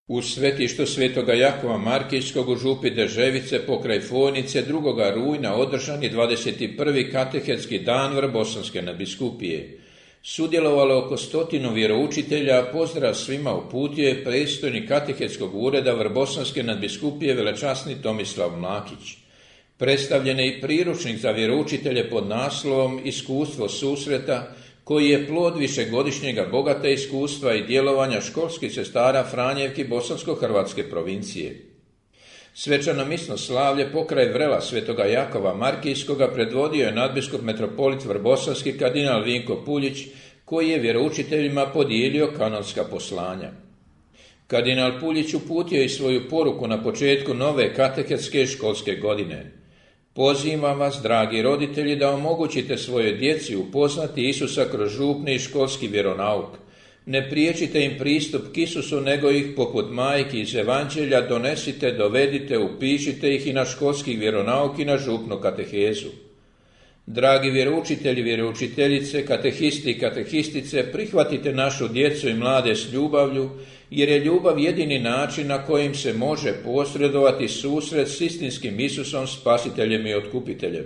U svetištu svetoga Jakova Markijskog u župi Deževice pokraj Fojnice 2. rujna održan je 21. katehetski dan Vrbosanske nadbiskupije. Sudjelovalo oko 100 vjeroučitelja, pozdrav svima uputio je predstojnik katehetskog ureda Vrbosanske nadbiskupije velečasni Tomislav Mlakić. Predstavljen je i priručnik za vjeroučitelje pod naslovom Iskustvo susreta, koji je plod višegodišnjega bogata iskustva i djelovanja školskih sestara Franjevki Bosansko-hrvatske provincije. Svečano misno slavlje pokraj vrela svetoga Jakova Markijskoga predvodio je nadbiskup metropolit Vrbosanski kardinal Vinko Puljić, koji je vjeroučiteljima podijelio kanonska poslanja. Kardinal Puljić uputio i svoju poruku na početku nove katehetske školske godine. Pozivam vas, dragi roditelji, da omogućite svojoj djeci upoznati Isusa kroz župni i školski vjeronauk. Ne priječite im pristup k Isusu, nego ih poput majki iz Evanđelja donesite, dovedite, upišite ih i na školski vjeronauk i na župnu katehezu. Dragi vjeroučitelji, vjeroučiteljice, katehisti i katehistice, prihvatite našu djecu i mlade s ljubavlju, jer je ljubav jedini način na kojim se može posredovati susret s istinskim Isusom, spasiteljem i otkupiteljem.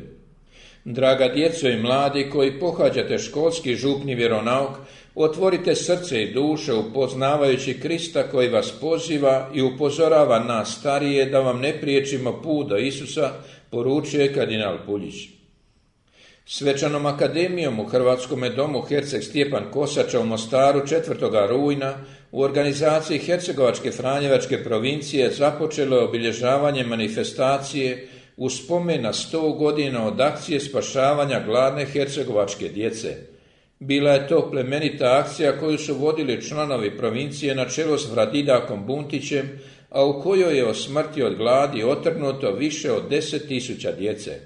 Draga djeco i mladi koji pohađate školski župni vjeronauk, otvorite srce i duše upoznavajući Krista koji vas poziva i upozorava nas starije da vam ne priječimo put do Isusa, poručuje kardinal Puljić. Svečanom akademijom u Hrvatskome domu Herceg Stjepan Kosača u Mostaru 4. rujna u organizaciji Hercegovačke Franjevačke provincije započelo je obilježavanje manifestacije u spomen na 100 godina od akcije spašavanja gladne hercegovačke djece. Bila je to plemenita akcija koju su vodili članovi provincije na čelu s Vradidakom Buntićem, a u kojoj je o smrti od gladi otrgnuto više od 10.000 djece.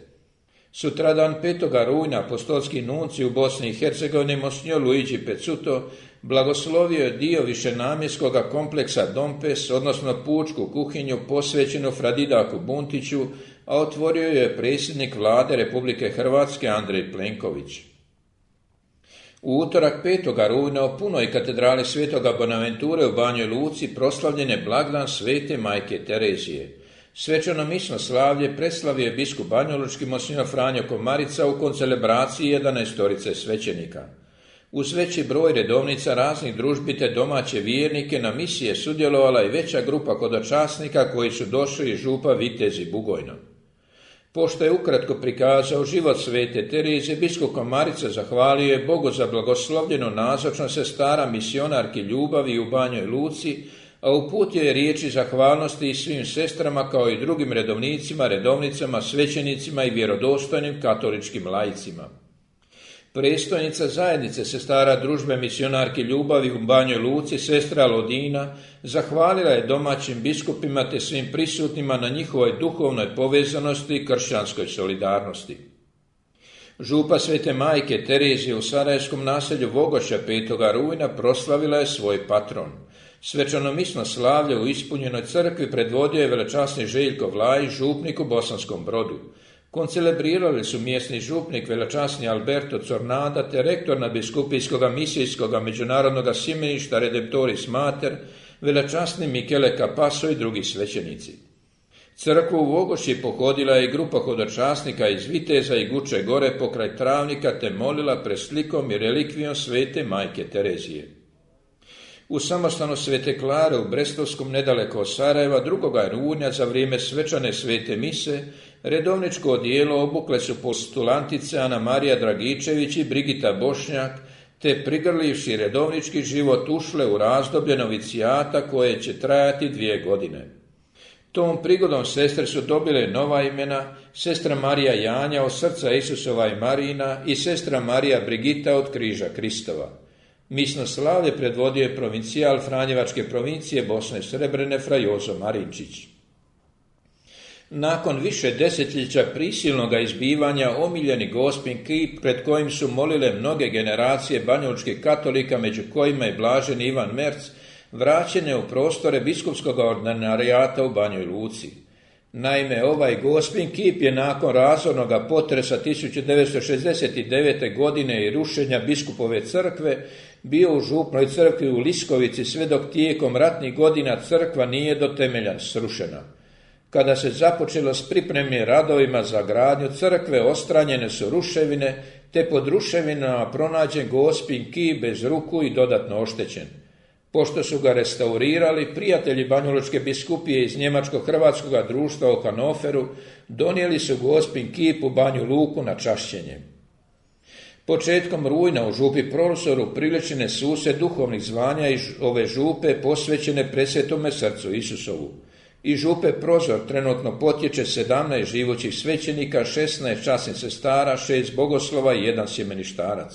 Sutradan 5. rujna apostolski nunci u Bosni i Hercegovini Monsignor Luigi Pezzuto blagoslovio je dio višenamjenskoga kompleksa Dompes, odnosno pučku kuhinju posvećenu Vradidaku Buntiću, a otvorio je predsjednik vlade Republike Hrvatske Andrej Plenković. U utorak 5. rujna u punoj katedrali Svetoga Bonaventure u Banjoj Luci proslavljen je blagdan Svete majke Terezije. Svečano misno slavlje preslavio je biskup banjalučki Monsignor Franjo Komarica u koncelebraciji 11 svećenika. Uz veći broj redovnica raznih družbi te domaće vjernike na misije sudjelovala i veća grupa hodočasnika koji su došli iz župa Vitezi Bugojno. Pošto je ukratko prikazao život svete Terezije, biskup Komarica zahvalio je Bogu za blagoslovljenu nazočnost sestara misionarki ljubavi u Banjoj Luci, a uputio je riječi zahvalnosti i svim sestrama kao i drugim redovnicima, redovnicama, svećenicima i vjerodostojnim katoličkim laicima. Predstojnica zajednice sestara družbe misionarki ljubavi u Banjoj Luci, sestra Lodina, zahvalila je domaćim biskupima te svim prisutnima na njihovoj duhovnoj povezanosti i kršćanskoj solidarnosti. Župa Svete majke Terezije u sarajevskom naselju Vogošća 5. rujna proslavila je svoj patron. Svečano misno slavlje u ispunjenoj crkvi predvodio je velečasni Željko Vlajić, župnik u Bosanskom Brodu. Koncelebrirali su mjesni župnik velečasni Alberto Cornada te rektor nadbiskupijskoga misijskoga međunarodnoga simeništa Redemptoris Mater, velečasni Michele Capasso i drugi svećenici. Crkvu u Vogošći pohodila je i grupa hodočasnika iz Viteza i Guče Gore pokraj Travnika te molila pred slikom i relikvijom Svete majke Terezije. U samostanu Svete Klare u Brestovskom nedaleko od Sarajeva 2. rujna za vrijeme svečane svete mise redovničko odijelo obukle su postulantice Ana Marija Dragičević i Brigita Bošnjak, te prigrlivši redovnički život ušle u razdoblje novicijata koje će trajati 2 godine. Tom prigodom sestre su dobile nova imena, sestra Marija Janja od srca Isusova i Marina i sestra Marija Brigita od križa Kristova. Misno slavlje predvodio je provincijal Franjevačke provincije Bosne i Srebrene fra Jozo Marinčić. Nakon više desetljeća prisilnoga izbivanja omiljeni Gospin kip pred kojim su molile mnoge generacije banjalučkih katolika, među kojima je blaženi Ivan Merc, vraćen je u prostore biskupskog ordinarijata u Banjoj Luci. Naime, ovaj Gospin kip je nakon razornoga potresa 1969. godine i rušenja biskupove crkve bio u župnoj crkvi u Liskovici sve dok tijekom ratnih godina crkva nije do temelja srušena. Kada se započelo s pripremnim radovima za gradnju crkve, odstranjene su ruševine, te pod ruševinama pronađen Gospin kip bez ruku i dodatno oštećen. Pošto su ga restaurirali, prijatelji Banjalučke biskupije iz Njemačko-hrvatskog društva u Hanoveru donijeli su Gospin kip u Banju Luku na čašćenje. Početkom rujna u župi Prozoru priličene su se duhovnih zvanja iz ove župe posvećene Presvetome srcu Isusovu. Iz župe Prozor trenutno potječe 17 živućih svećenika, 16 časnih sestara, 6 bogoslova i 1 sjemeništarac.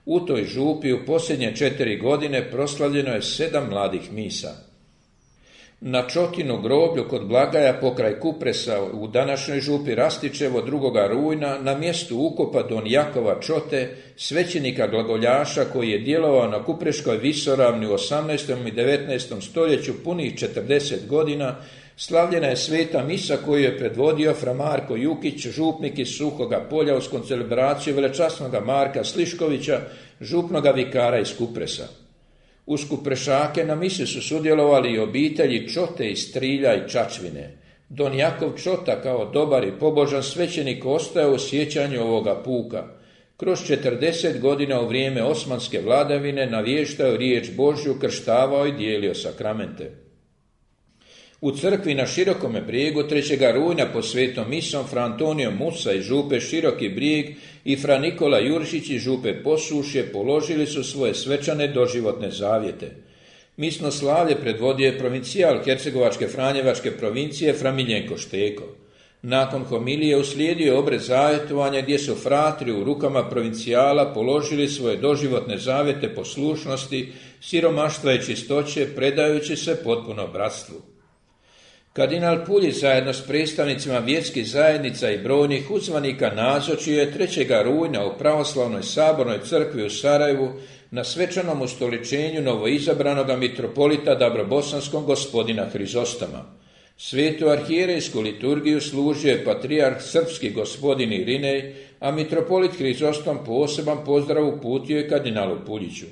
U toj župi u posljednje 4 godine proslavljeno je 7 mladih misa. Na Čotinu groblju kod Blagaja pokraj Kupresa u današnjoj župi Rastičevo 2. rujna na mjestu ukopa don Jakova Čote, svećenika glagoljaša koji je djelovao na Kupreškoj visoravni u 18. i 19. stoljeću punih 40 godina, slavljena je sveta misa koju je predvodio fra Marko Jukić, župnik iz Suhoga Polja uz koncelebraciju velečasnoga Marka Sliškovića, župnoga vikara iz Kupresa. Uz Kuprešake na misi su sudjelovali i obitelji Čote iz Strilja i Čačvine. Don Jakov Čota kao dobar i pobožan svećenik ostao u sjećanju ovoga puka. Kroz 40 godina u vrijeme osmanske vladavine navještao riječ Božju, krštavao i dijelio sakramente. U crkvi na Širokome brijegu 3. rujna pod svetom misom fra Antonio Musa iz župe Široki brijeg i fra Nikola Juršić iz župe Posušje položili su svoje svečane doživotne zavjete. Misno slavlje predvodio je provincijal Hercegovačke Franjevačke provincije fra Miljenko Šteko. Nakon homilije uslijedio je obred zavjetovanja gdje su fratri u rukama provincijala položili svoje doživotne zavjete poslušnosti, siromaštva i čistoće, predajući se potpuno bratstvu. Kardinal Puljić zajedno s predstavnicima vjerskih zajednica i brojnih uzvanika nazočio je 3. rujna u pravoslavnoj sabornoj crkvi u Sarajevu na svečanom ustoličenju novoizabranoga mitropolita Dabrobosanskog gospodina Hrizostoma. Svetu arhijerejsku liturgiju služio je patrijarh srpski gospodin Irinej, a mitropolit Hrizostom poseban pozdrav uputio je kardinalu Puljiću.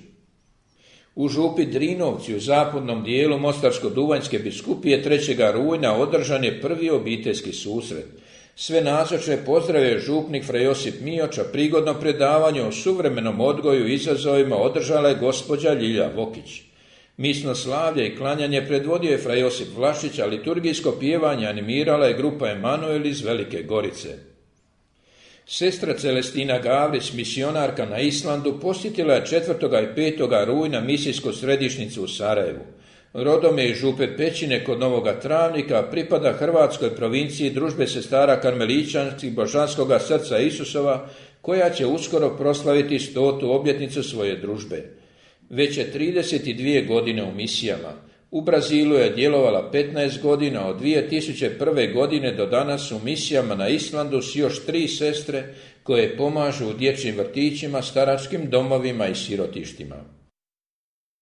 U župi Drinovci u zapadnom dijelu Mostarsko-Duvanjske biskupije 3. rujna održan je prvi obiteljski susret. Sve nazočne pozdravio župnik fra Josip Mioča, prigodno predavanje o suvremenom odgoju i izazovima održala je gospođa Ljilja Vokić. Misno slavlje i klanjanje predvodio je fra Josip Vlašić, a liturgijsko pjevanje animirala je grupa Emanuel iz Velike Gorice. Sestra Celestina Gavrić, misionarka na Islandu, posjetila je 4. i 5. rujna misijsku središnjicu u Sarajevu. Rodom je iz župe Pećine kod Novoga Travnika, pripada Hrvatskoj provinciji Družbe sestara Karmeličanskih Božanskoga srca Isusova, koja će uskoro proslaviti 100. obljetnicu svoje družbe. Već je 32 godine u misijama. U Brazilu je djelovala 15 godina, od 2001. godine do danas u misijama na Islandu s još 3 sestre koje pomažu u dječjim vrtićima, staračkim domovima i sirotištima.